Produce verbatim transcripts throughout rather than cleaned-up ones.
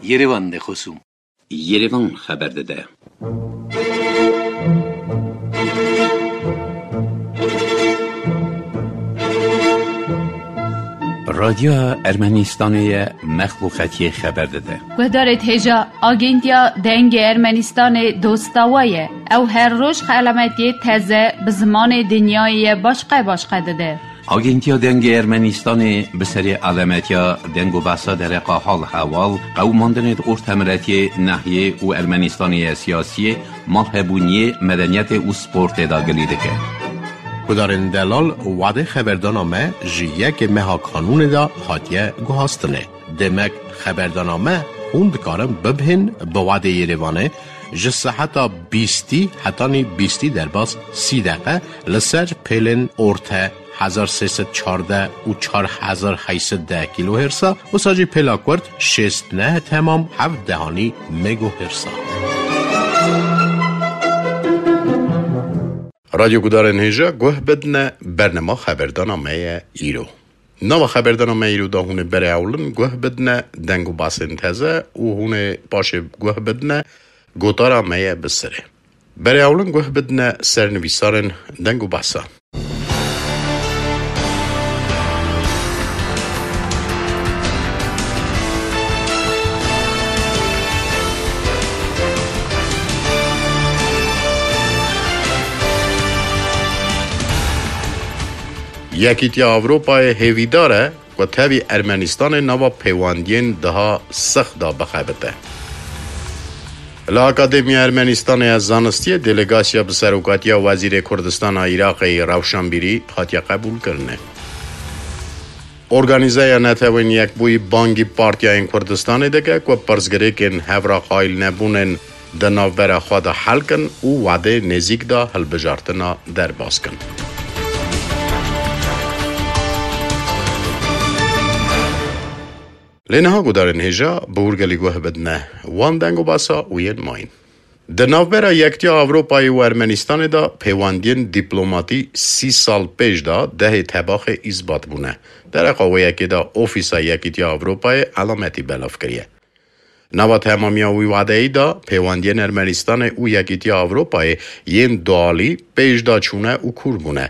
Yerevan de xosûm. Yerevan xeber dide. Radyoya Ermenistanê ye, mexluqetiyê xeber dide. Guhdarê hêja, Agentiya Dengê Ermenistanê dosta we ye. Ew her roj xelametiyê teze bi zimanê dinyayê ye başqe başqe dide. Agentiya Dengê Ermenistanê bi serê alemetiya deng û behsa dereqa hal hewal, qewimandinê di ortemiretiyê, nehiyê û Ermenistanê ye siyasiyê, malhebûniyê, medeniyetê û sportê de gilî dike. Gudarên delal, wadê xeberdana me ji yekê meha kanûnê de hatiye guhastinê. Demek xeberdana me hûn dikarin bibihên bi wadê Yerevanê ji seheta bîstî hetanî bîstî derbas sî deqe li ser pêlên orte hezar sê sed çardeh û çar hezar heyt sed deh kîlohêrsa, wisa jî pêla kurt şêst neh temam heft dehanî megohêrsa. Radyo gudarên hêja guh bidine, bernema xeberdana me ye îro. Nava xeberdana me îro de hûn ê berê ewlin guh bidine deng û basên teze û hûn ê paşê guh bidine gotara me ye bi sirê. Berê ewlin guh bidine sernivîsarên deng û basa. Yekîtiya Ewropayê hêvîdar e ku tevî Ermenistanê nava pêwendiyên daha six da bixebite. Li Akademiya Ermenistanê ya Zanistiyê delegasiya bi serokatiya Wezîrê Kurdistana Iraqê Rewşenbîrî hatiye qebûlkirinê. Organîzeya Netewên Yekbûyî bangî partiyayên Kurdistanê dike ku pirsgirêkên hevra qayîlnebûnên di navbera xwe de hel kin û wadê nêzîk de hilbijartina derbas kin. Lê niha gudarên hêja bi hûrgelî guh bidine wan deng û basa û yên mayîn. Di navbera Yektiya Ewropayê û Ermenistanê de pêwendiyên dîplomatî sî sal pêş de dehê tebaxê îsbat bûne. Dereqa wê yekê de Ofîsa Yekîtiya Ewropayê elametî belav kiriye. Nava temamiya wî wadeyî de pêwendiyên Ermenistanê û Yekîtiya Ewropayê yên dualî pêş de çûne û kûr bûne.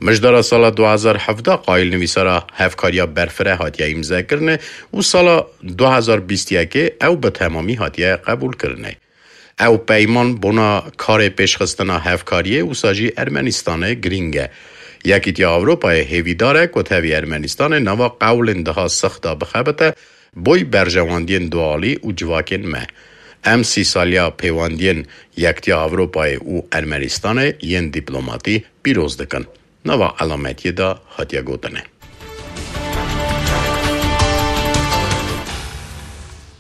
Mijdara sala du hezar hevdeh qayîlnivîsara hevkariya berfireh hatiye îmzekirinê û sala du hezar bîst yekê ew bi temamî hatiye qebûlkirinê. Ew peyman bona karê pêşxistina hevkariyê wisa jî Ermenistanê girîng e. Yekîtiya Ewropayê hêvîdar e ku tevî Ermenistanê nava qewlên daha six de bixebite, boy berjewendiyên dualî û civakên me. Em sî saliya pêwendiyên Yektiya Ewropayê û Ermenistanê yên dîplomatî pîroz dikin. Nava elametiyê de hatiye gotinê.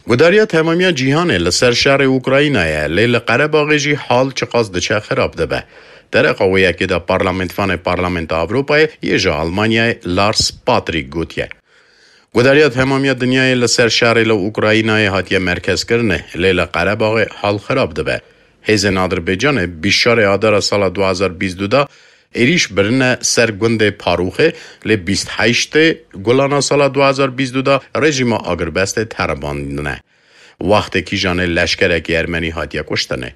Gudariya temamiya cîhanê li ser şerê Ukraynayê, lê li Qerebaxê jî hal çiqas diçe xirab dibe. Dereqa wê yekê de parlamentvanê Parlamenta Ewropayê yê ji Almanyayê Lars Patrick gotiye. Gudariya temamiya dinyayê li ser şerê li Ukraynayê hatiye merkezkirinê, lê li Qerebaxê hal xirab dibe. Hêzên Adirbaycanê bîst şarê Adara sala du hezar bîst du de êrîş birine ser gundê Parûxê, lê bîst heştê Gulana sala du hezar bîst du de rejîma agirbestê teribandine. Wextê kîjanê leşkerekî ermenî hatiye kuştinê.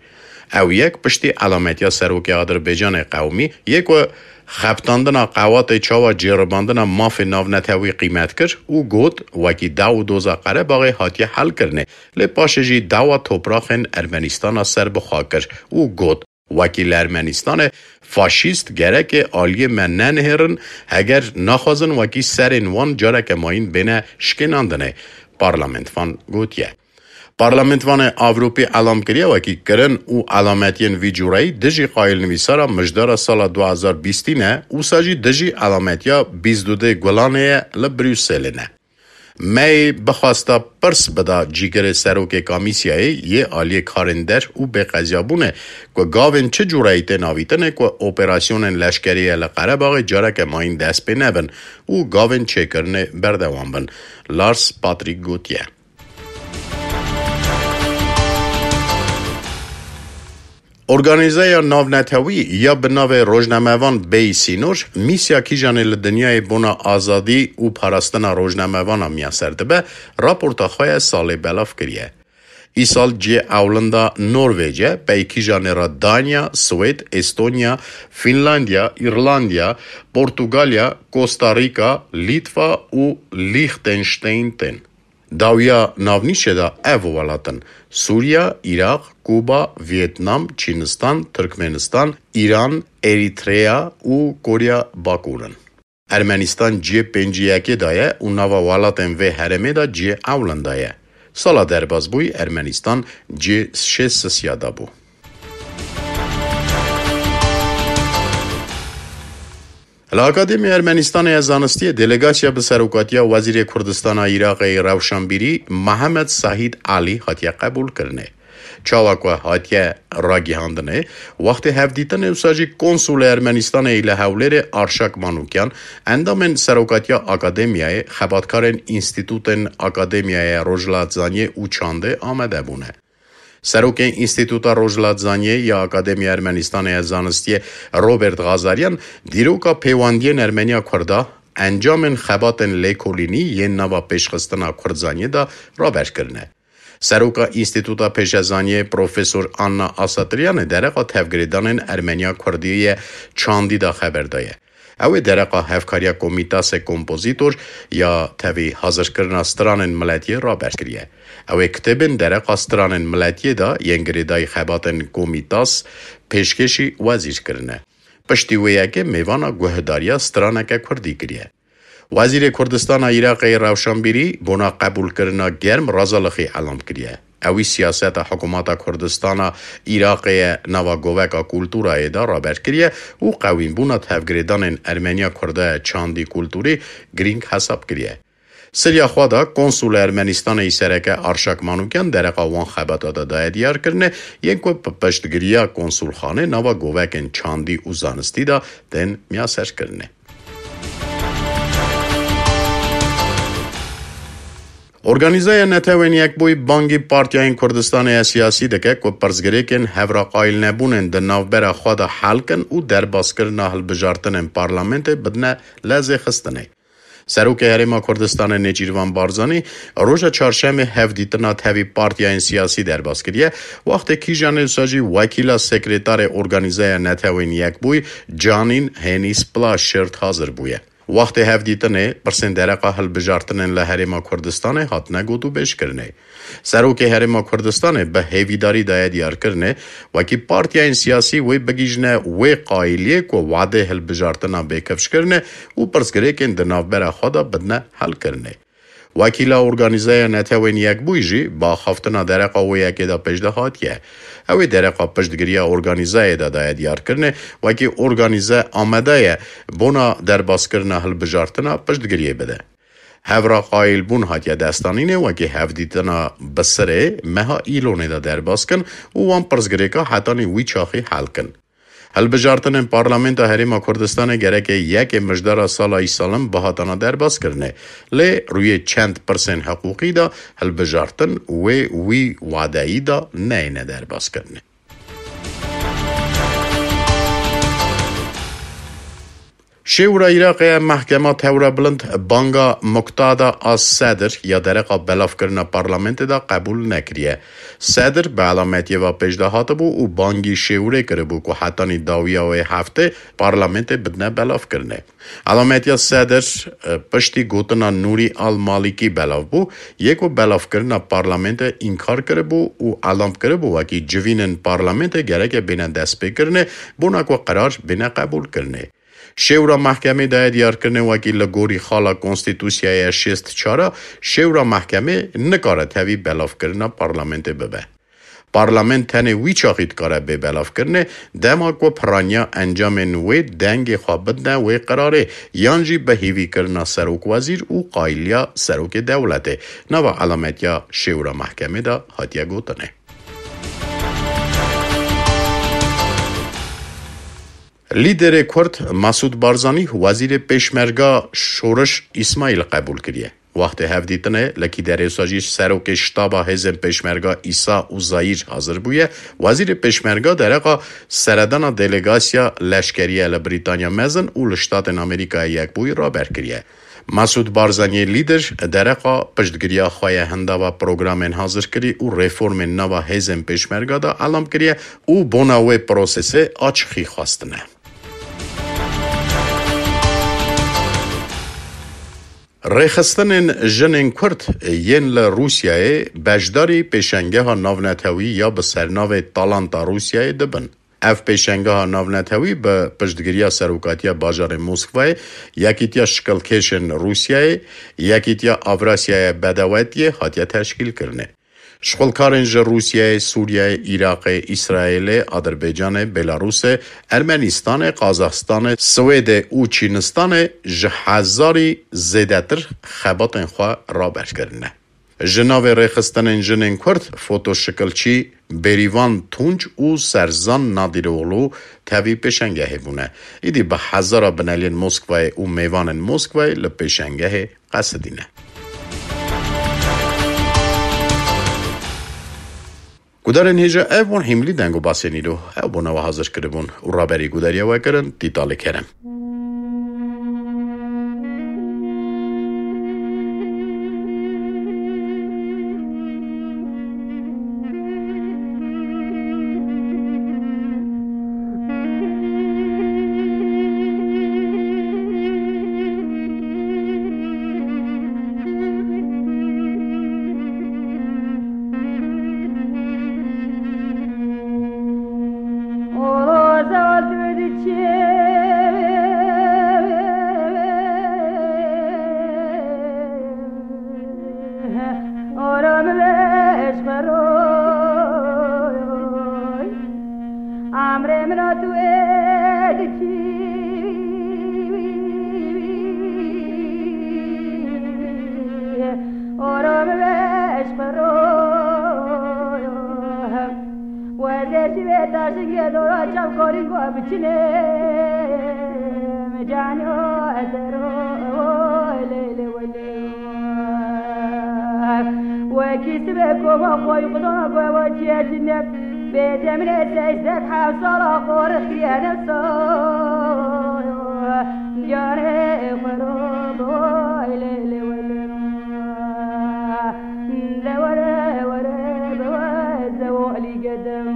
Ew yek piştî elametiya serokê Adirbaycanê qewmî yê ku xebitandina qewatê çawa cêribandina mafê navnetewî qîmet kir û got, wekî daw û doza Qerebaxê hatiye helkirinê, lê paşê jî dawa topraxên Ermenistana serbixwe kir û got, wekî li Ermenistanê faşîst gereke aliyê me nenihêrin, heger naxwazin wekî serên wan careke mayîn bêne şikênandinê, parlamentvan gotiye. Parlamentvanê Ewropî elam kiriye wekî kirin û elametiyên vî cureyî dijî qayîlnivîsara mijdara sala du hezar bîstî ne, wisa jî dijî elametiya bîst du dê Gulanê ye li Brukselê ne. May bixwesta pirs bida cîgirê serokê Komîsyayê yê aliyê karên der û bêqeziyabûnê ku gavên çi cureyî tên avîtinê ku operasyonên leşkerî ye li Qerebaxê careke mayîn dest pê nebin û gavên çêkirinê berdewam bin. Lars Patrick gotiye. Organîzeya Navnetewî ya bi navê Rojnamevan Bêyî Sînor, mîsya kîjanê li dinyayê bona azadî û parastina rojnamevana miyaser dibe, raporta xwe ya salê belav kiriye. Îsal cihê ewlinda Norvêc e, pey kîjanê re Danya, Swêd, Estonya, Fînlandiya, Îrlandiya, Portugalya, Kosta Rîka, Lîtva û Lîxtenşteyn tên. Dawiya navnîşê de ev welat in: Sûriya, Îraq, Kuba, Vîetnam, Çînistan, Tirkmenistan, Îran, Erîtreya û Korya Bakur in. Ermenîstan cihê pêncî yekê de ye û nava welatên vê herêmê de cihê ewlin de ye. Sala derbasbûyî Ermenîstan cihê şêst sisiya de bû. Li Akademiya Ermenîstanê ya Zanistiyê delegasiya bi serokatiya Wezîrê Kurdistana Iraqê yê Rewşanbîrî Mehemed Sahîd Alî hatiye qebûlkirinê. Çawa ku hatiye ragihandinê, wextê hevdîtinê wisa jî konsulê Ermenîstanê yê li Hewlêrê Arşak Manûkyan, endamên serokatiya akademiyayê, xebatkarên înstîtûtên Akademiyaya Rojhilatzaniyê û Çandê amade bûne. Serokê Înstîtûta Rojhilatzaniyê ya Akademiya Ermenîstanê ya Zanistiyê Robert Xazaryan dîroka pêwendiyên Ermeniya Kurda, encamên xebatên lêkolînî yên nava pêşxistina Kurdzaniyê de raber kirine. Seroka Înstîtûta Pêşezaniyê Profesor Anna Asatiryanê dereqa tevgirêdanên Ermeniya Kurdiyê ye Çandî de xeber daye. Ew ê dereqa hevkariya Komîtasê Kompozîtor ya tevî hazirkirina stranên miletiyê raber kiriye. Ew ê kitêbên dereqa stranên miletiyê de yên girêdayî xebatên Komîtas pêşkêşî wezîr kirine. Piştî wê yekê mêvana guhdariya straneke kurdî kiriye. Wezîrê Kurdistana Iraqê yê Rewşanbîrî bona qebûlkirina germ razalixî elam kiriye. Ewî siyaseta hikûmeta Kurdistana Iraqê ye nava goveka kulturayê de raber kiriye û qewînbûna tevgirêdanên Ermeniya Kurda ye Çandî kulturî girîng hesab kiriye. Siriya xwe de konsulê Ermenîstanê yî sereke Arşak Manûkyan dereqa wan xebata de daye diyarkirinê, yên ku bi piştgiriya konsulxanê nava govekên çandî û zanistî de tên miyaserkirinê. Organîzeya Netewên Yekbûyî bangî partiyayên Kurdistanê ya siyasî dike ku pirsgirêkên hevraqayîlnebûnên di navbera xwe de hel kin û derbaskirina hilbijartinên parlamentê bidine lezêxistinê. Serokê Herêma Kurdistanê Nêçîrvan Barzanî roja çarşemê hevdîtina tevî partiyayên siyasî derbas kiriye, wextê kîjanê wisa jî wekîla sekretarê Organîzeya Netewên Yekbûyî Canîn Henîs Pla Şirt hazir bûye. Wextê hevdîtinê, pirsên dereqa hilbijartinên li Herêma Kurdistanê hatine gotûbêjkirinê. Serokê Herêma Kurdistanê bi hêvîdarî daye diyarkirinê, wekî partiyayên siyasî wê bigihîjine wê qayîliyê ku wadê hilbijartina bê kifşkirinê û pirsgirêkên di navbera xwe de bidine helkirinê. Wekîla Organîzeya Netewên Yekbûyî jî bi axaftina dereqa wê yekê de pêşde hatiye. Ew ê dereqa piştgiriya organîzeyê de daye diyarkirinê, wekî organîze amade ye bona derbaskirina hilbijartina piştgiriyê bide. Hevra qayîlbûn hatiye destanînê, wekî hevdîtina bi sirê meha Îlonê de derbas kin û wan pirsgirêka hetanî wî çaxî hel kin. Hilbijartinên Parlamenta Herêma Kurdistanê gereke yekê mijdara sala îsalan bihatana derbaskirinê. Lê rûyê çend pirsên hiqûqî de hilbijartin wê wî wadeyî de neyêne derbaskirinê. Şêwra Iraqê ya Mehkema Tewra Bilind banga Muqtada as Sedr ya dereqa belavkirina parlamentê de qebûl nekiriye. Sedr bi elametiye ve pêşde hatibû û bangî şêwrê kiribû ku hetanî dawiya wê heftê parlamentê bidine belavkirinê. Elametiya Sedr, e, piştî gotina Nûrî Al Malîkî belav bû, yê ku belavkirina parlamentê înkar kiribû û elam kiribû wekî civînên parlamentê gereke bêne destpêkirinê, bona ku qerar bêne qebûlkirinê. Şêwra mehkemê daye diyarkirinê wekî li gorî xala Konstîtûsyaya şêst çar a, şêwra mehkemê nikare tevî belavkirina parlamentê bibe. Parlament tenê wî çaxî dikare bê belavkirinê, dema ku piraniya encamên wê dengê xwe bidine wê qerarê, yan jî bi hêvîkirina serokwezîr û qayîliya serokê dewletê, nava elametiya şêwra mehkemê de hatiye gotinê. Lîderê Kurd Mesûd Barzanî Wezîrê Pêşmerga Şoriş Îsmaîl qebûl kiriye. Wextê hevdîtinê li Kîderêsa jî serokê ştaba hêzên pêşmerga Îsa Uzayîr hazir bûye. Wezîrê pêşmerga dereqa seredana delegasya leşkerî ye li Brîtanya Mezin û li Ştatên Amerîkayê Yekbûyî raber kiriye. Masûd Barzaniyê lîder dereqa piştgiriya xwe ye hindava programên hazirkirî û reformên nava hêzên pêşmerga de elam kiriye û bona wê prosesê açixî xwestine. Rêxistinên jinên Kurd yên li Rûsyayê beşdarî pêşengeha navnetewî ya bi sernavê Talanta Rûsyayê dibin. Ev pêşengeha navnetewî bi piştgiriya Serokatiya Bajarê Moskwayê, Yekîtiya Şikilkêşên Rûsyayê, Yekîtiya Avrasyaya Bedewetiyê hatiye teşkîlkirinê. Şixulkarên ji Rûsyayê, Sûriyeyê, Iraqê, Îsraîlê, Adirbaycanê, Belarusê, Ermenîstanê, Qazaxistanê, Swêdê û Çînistanê ji hezarî zêdetir xebatên xwe raber kirine. Ji navê rêxistinên jinên Kurd, fotoşikilçî Bêrîvan Tunç û Serzan Nadîroğlu tevî pêşengehê bûne. Îdî bi hezara bineliyên Moskwayê û mêvanên Moskwayê li pêşengehê qesidîne. Gudarên hêja, ev bûn hîmlî deng û basên îro. Ew bona we hazir kiribûn û raberî gudariya we kirin Tîtalê Kerem. Amrê min a tu ê dikî, ora min be ji xwe ro. Wezê jî wê taşingê dora çavkorî ku biçine, mi canyo ez ero, lê lê welê. Wekî sibê koma xwe yî xwedana ku ewa çiye tune. Bêje min ê seyzdeh heft sala xwe rixiyene soy. Diyarê xwe ro bi way lê lê welê. De were were bi way zewalî gedem.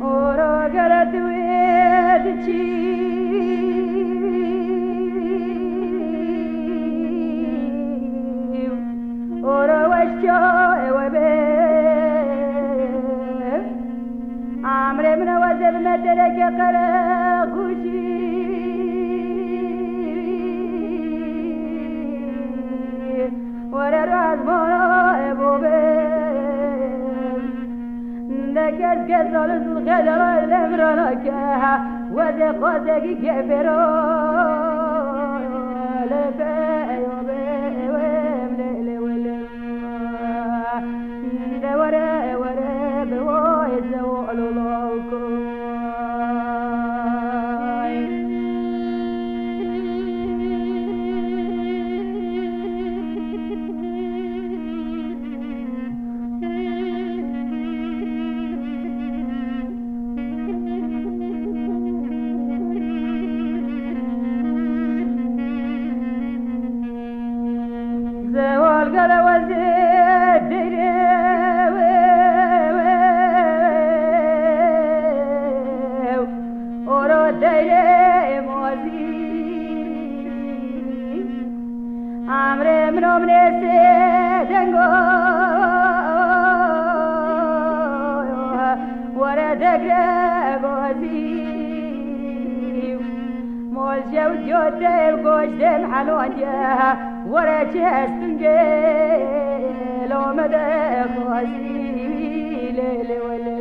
Ora gere tu ê diçî. Ora weşka ewe be. Amrê min ewe zevme dereke qere xuşî. Were razmana ebo be. De kes kes alin xedara lemrana ke. Wede xwazegi gefero. Lefe eyo be ewem le le welem. De were were bi way zewalo lawko. Zewal gele wezê deyrê ora deyrê mazî. Amrê min o min ê sê dengo. Were degre gozî. Mol jew diyo dev goş dem helon ye. Were çi hestun gelo me de xozî. Lê lê welê.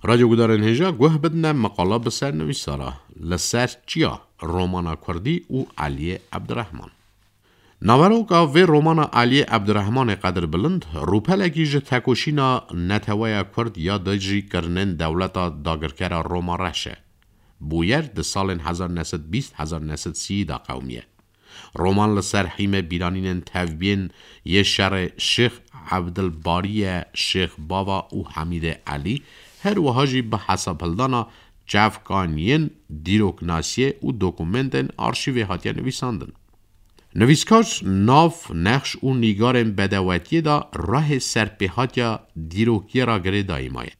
Radyo gudarên hêja guh bidine meqala bi ser nivîsara Li ser çiya, romana kurdî û Eliyê Ebdirehman. Naveroka vê romana Eliyê Ebdirehmanê Qedirbilind, rûpelekî ji tekoşîna neteweya kurd ya dijî kirinên dewleta dagirkera Roma reş e. Bûyer di salên hezar neh sed bîst hezar neh sed sî de qewimiye. Roman li ser hîmê bîranînên tevbiyên yê şerê Şêx Evdilbariye, Şêx Bava û Hemîdê Elî, her wiha jî bi hesabhildana çavkaniyên dîroknasiyê û dokumentên arşîvê hatiye nivîsandin. Nivîskar nav, nexş û nîgarên bedewetiyê de rehê serpêhatiya dîrokiyê re girêdayî maye.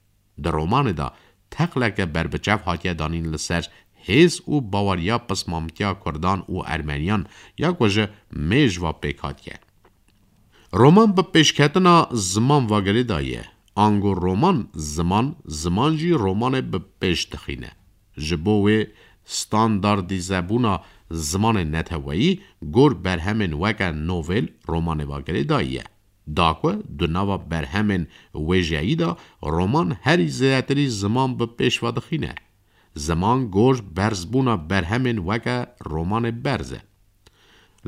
Di romanê de teqleke berbiçav hatiye danîn li ser hêz û baweriya pismamtiya Kurdan û Ermeniyan ya ku ji mêj ve pêk hatiye. Roman bi pêşketina ziman ve girêdayî ye. Ango roman ziman, ziman jî romanê bi pêş dixîne. Ji bo wê standardîzebûna zimanê neteweyî gor berhemên weke novel romanê ve girêdayî ye. Da ku di nava berhemên wêjeyî de roman herî zêdetirî ziman bi pêş ve dixîne. Ziman gor berzbûna berhemên weke romanê berz e.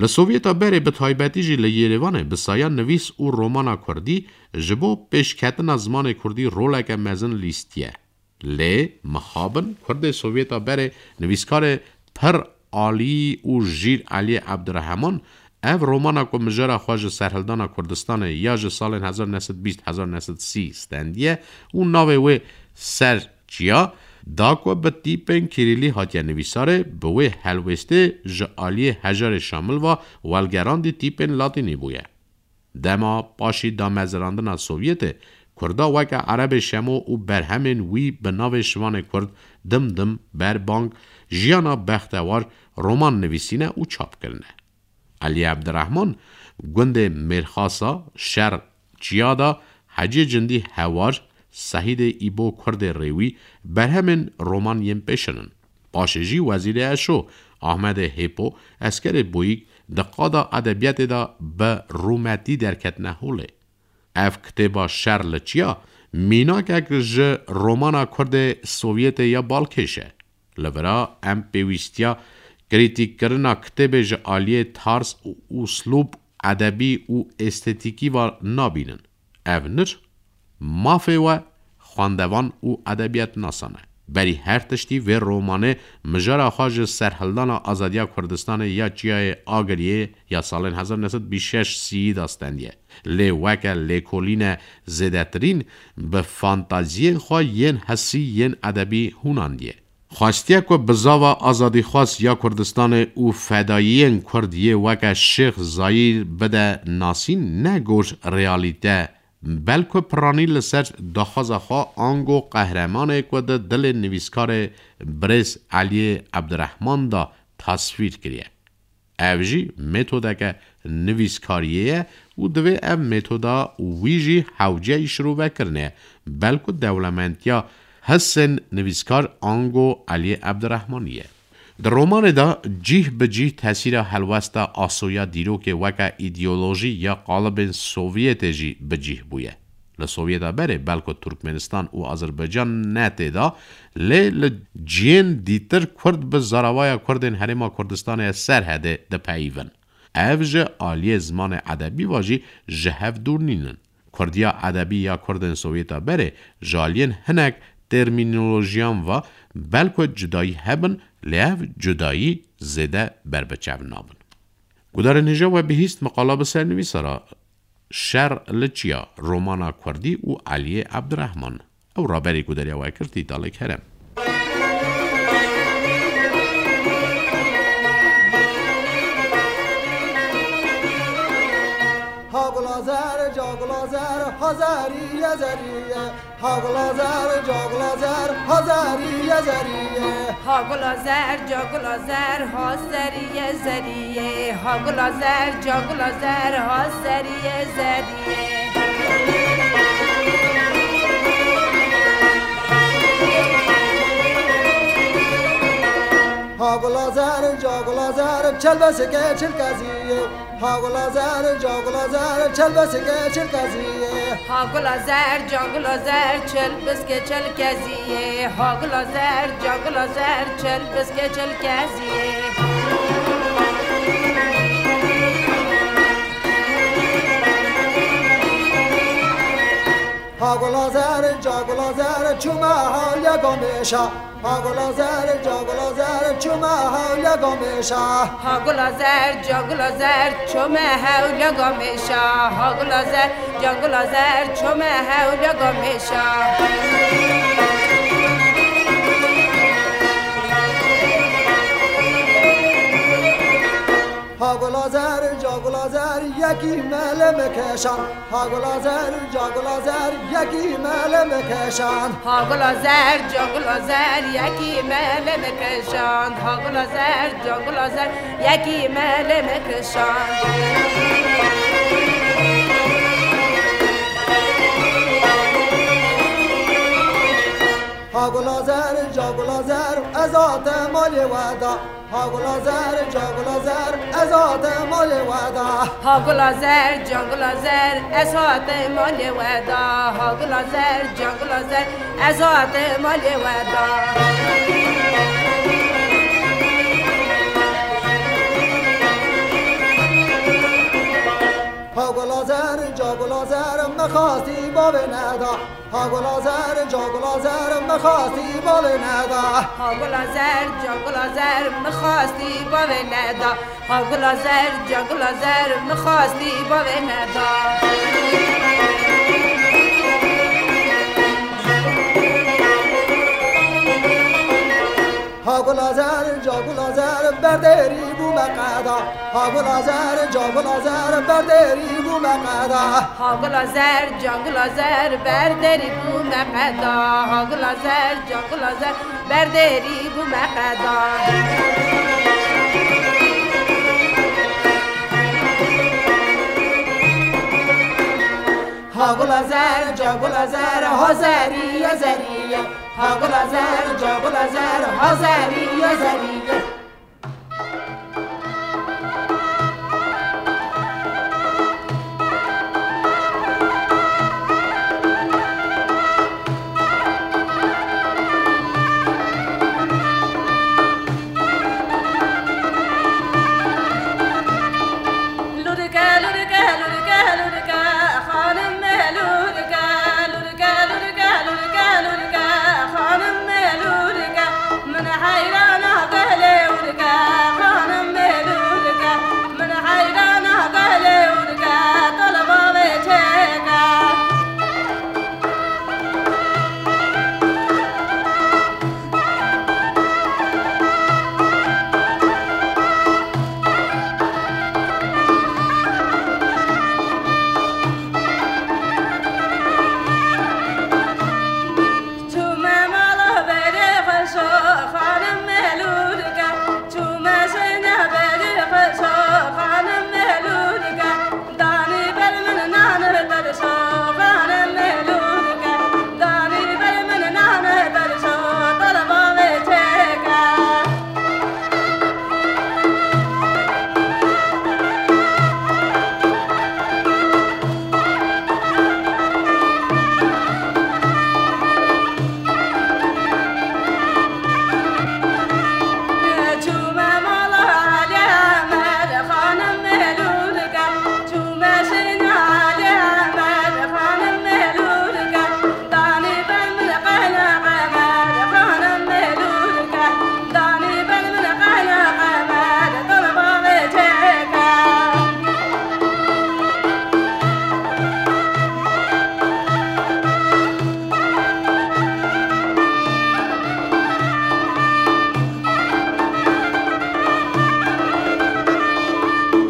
Li Sovyeta berê, bi taybetî jî li Yêrêvanê, bi saya nivîs û romana kurdî ji bo pêşketina zimanê kurdî roleke mezin lîstiye. Lê mixabin kurdê Sovyeta berê, nivîskarê pir alî û jîr Eliyê Ebdirehman, ev romana ku mijara xwe ji serhildana Kurdistanê ya ji salên hezar neh sed bîst hezar neh sed sî stendiye û navê wê Ser Çiya da ku bi tîpên kîrîlî hatiye nivîsarê, bi wê helwêstê ji aliyê hejarê Şamil ve welgerandî tîpên latînî bûye. Dema paşî damezirandina Sovyetê, Kurda weke Erebê Şemo û berhemên wî bi navê Şivanê Kurd, Dimdim, Berbang, Jiyana Bextewar, roman nivîsîne û çap kirine. Elî Ebdirehman, gundê Mêrxasa, Şer Çiya de, Hecê Cindî Hewar, Sehîdê Îbo Kurdê Rêwî, berhemên roman yên pêşin in. Paşê jî Wezîrê Eşo, Ahmedê Hêpo, Eskerê Boyîk di qada edebiyatê de bi rûmetî derketine holê. Ev kitêba Şer li Çiya mînakek ji romana Kurdê Sovyetê ya balkêş e. Li vira em pêwîstiya krîtîkkirina kitêbê ji aliyê tarz û uslûb, edebî û estetîkî ve nabînin. Ev nir mafê we xwendevan û edebiyatnasan e. Berî her tiştî vê romanê mijara xwe ji serhildana azadiya Kurdistanê ya Çiyayê Agiriyê ya salên hezar neh sed bîst şeş sî de stendiye. Lê weke lêkolîne zêdetirîn bi fantaziyên xwe yên hesî yên edebî hûnandiye. Xwestiye ku bizava azadîxwaz ya Kurdistanê û fedayiyên Kurd yê weke Şêx Zayîr bide nasîn, ne gor realîte, belku piranî li ser daxwaza xwe ango qehremanê ku di dilê nivîskarê birêz Eliyê Ebdirehman de tasvîr kiriye. Ev jî metodeke nivîskariyê ye û divê ev metoda wî jî hewceyî şirovekirinê ye, belku dewlementiya hisên nivîskar ango Eliyê Ebdirehmanî ye. Di romanê de cîh bi cîh tesîra helwesta asoya dîrokê weke îdeolojî ya qalibên Sovyetê jî bi cîh bûye. Li Sovyeta berê belku Turkmenistan û Azerbaycan ne tê de, lê li cihên dîtir Kurd bi zaravaya Kurdên Herêma Kurdistanê ya Serhedê dipeyivin. Ev ji aliyê zimanê edebî ve jî ji hev dûr nînin. Kurdiya edebî ya Kurdên Sovyeta berê ji aliyên hinek termînolojiyan ve belku cudayî hebin, lê ev cudayî zêde berbiçav nabin. Gudarên hêja, we bihîst meqala bi ser nivîsara Şer li Çiya, romana Kurdî û Eliyê Ebdirehman. Ew raberî ku deriya we kir, Tîtalê Kerem. Ha gula zer, ca gula zer, ha zerî ye, zerî ye. Ha gula zer, ca gula zer, ha zerî ye, zerî ye. Ha gula zer, ca gula zer, ha zerî ye, zerî ye. Ha gula zer, ca gula zer, ha zerî ye, zerî ye. Ha gula zer, ca gula zer, çelbesike çilkeziyê. Ha gula zer, ca gula zer, çelbesike çilkeziyê. Ha gula zer, ca gula zer, çelbesike çilkeziyê. Ha gula zer, ca gula zer, çelbesike çilkeziyê. Ha gula zer, ca gula zer, çûme hewliya gamêşa. Ha gula zer, ca gula zer, çûme hewliya gamêşa. Ha gula zer, ca gula zer, çûme hewliya gamêşa. Ha gula zer, ca gula zer, çûme hewliya gamêşa. Ha gula zer, ca gula zer, yekî mele me keşan. Ha gula zer, ca gula zer, yekî mele me keşan. Ha gula zer, ca gula zer, yekî mele me keşan. Ha gula zer, ca gula zer, yekî mele me keşan. Ha gula zer, ca gula zer, ez ate malê we da. Ha gula zer, ca gula zer, ez ate malê we da. Ha gula zer, ca gula zer, ez ate malê we da. Ha gula zer, ca gula zer, ez ate malê we da. Ha gula zer, ca gula zer, me xastî bavê neda. Ha gula zer, ca gula zer, me xastî bavê neda. Ha gula zer, ca gula zer, me xastî bavê neda. Ha gula zer, ca gula zer, me xastî bavê neda. Ha gula zer, ca gula zer, berderî bû me qeda. Ha gula zer, ca gula zer, berderî bû me qeda. Ha gula zer, ca gula zer, berderî bû me qeda. Ha gula zer, ca gula zer, berderî bû me qeda. Ha gula zer, ca gula zer, ha zerî ye, zerî ye. Ha gula zer, ca gula zer, ha zerî ye, zerî ye. Lûrike, lûrike, lûrike, lûrike, xanimê lûrike, lûrike, lûrike, lûrike, lûrike, xanimê lûrike, min heyrana gelê wurike, xanimê lûrike, min heyrana gelê wurike, tolba wê çêke. Çûme mala berê xweşo, xanim Melûrike. Çûme şêne berê xweşo, xanim Melûrike. Danî ber min nan tirşo, xanim Melûrike. Danî ber min nan tirşo, tolba wê çêke. Çûme mala Alî Emed, xanim Melûrike. Çûme şêna Alî Emed, xanim Melûrike. Danî ber min qene qemer, xanim Melûrike. Danî ber min qene qemer, tolba wê çêke.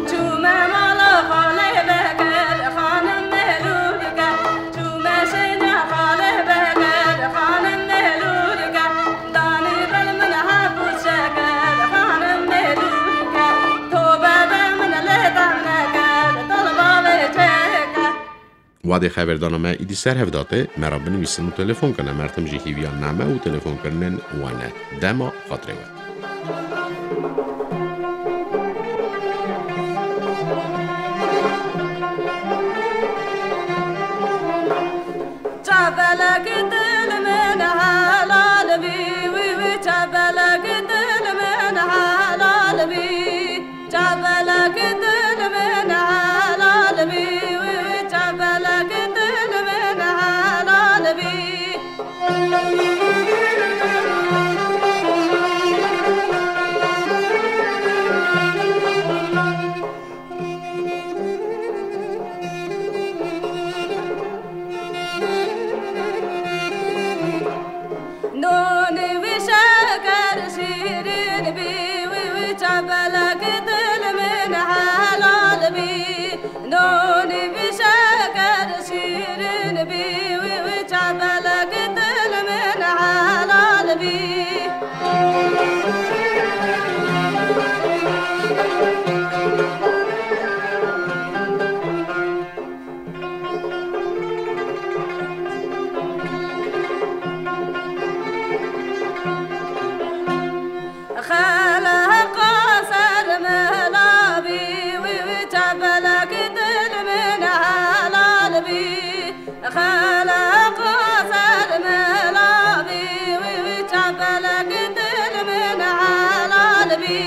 Çûme mala xalê Bekir, xanim Melûrike. Çûme şêna xalê Bekir, xanim Melûrike. Danî ber min hebû şeker, xanim Melûrike. Tobe be min lê dem nekir, tolba wê çêke. Wadê xeberdana me îdî ser hev date, me re binivîsin û telefon kene, mertim jî hîviya name û telefonkirinên we ne. Dema xatirê we. Çavelek dil min helal bî, wî wî çavelek dil min helal bî. Çavelek dil min helal bî, wî wî çavelek dil min helal bî. Nonê wî şeker şîrin bî, wî wî çavelek dil min helal bî. Nonê wî şeker şîrin bî, wî wî çavelek dil min helal bî. Xeleqa ser mela bî, wî wî çavelek dil min helal bî. Xeleqa ser mela bî, wî wî çavelek dil min helal bî.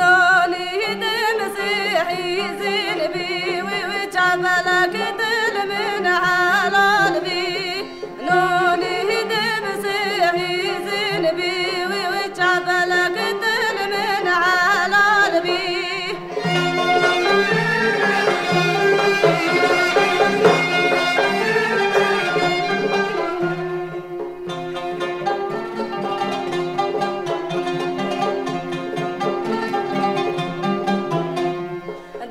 Nonî di misîhî zîn bî, wî wî çavelek dil min helal bî. Nonî di misîhî zîn bî, wî wî çavelek dil min helal bî.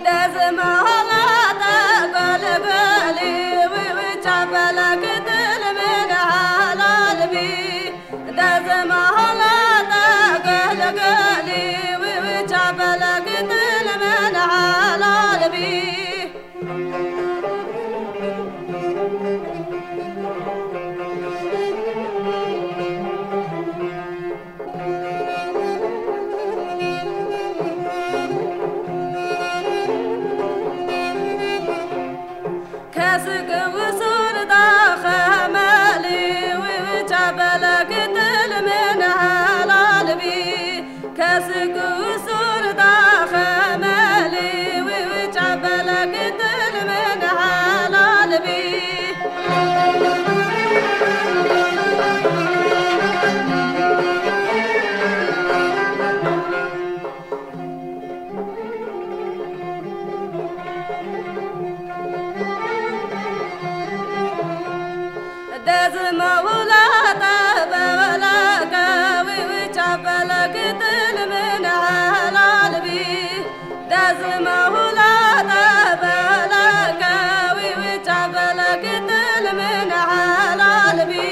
Dezmala te gul gulî, wî wî çavelek dil min helal bî. Dezmala te gul gulî, wî wî çavelek dil min helal bî. Kesik û sur da xemelî, wî wî çavelek dil min helal bî. Kesik û sur da xemelî, wî wî çavelek dil min helal bî. Dezmala te bevele ke, wî wî çavelek dil min helal bî. Dezmala te bevele ke, wî wî çavelek dil min helal bî.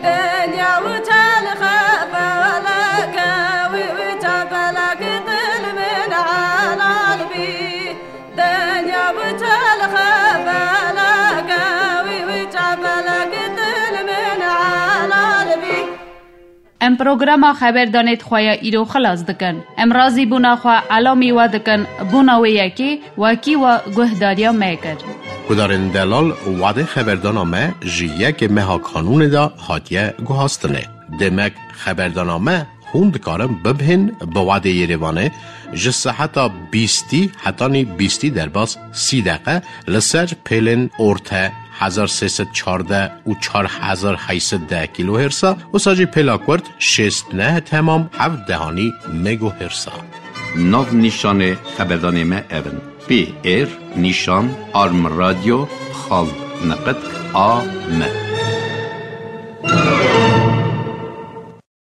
Dinya û çelxe feleke, wî wî çavelek dil min helal bî. Dinya û çelxe feleke, wî wî çavelek dil min helal bî. Em programa xeberdanê di xwe ya îro xilas dikin. Em razîbûna xwe elamî we dikin, bona wê yekê wekî we guhdariya me kir. Guhdarên delal, wadê xeberdana me ji yekê meha Kanûnê de hatiye guhastinê. Demek xeberdana me hûn dikarin bibihên bi wadê Yerêvanê ji seheta bîstî hetanî bîstî derbas sî deqe li ser pêlên orte hezar sê sed çardeh û çar hezar heyt sed deh kîlohêrsa, wisa jî pêla kurt şêst neh temam heft dehanî megohêrsa. Nav nîşanê xeberdanê me ev in: P R nîşan arm radyo xal neqet A M.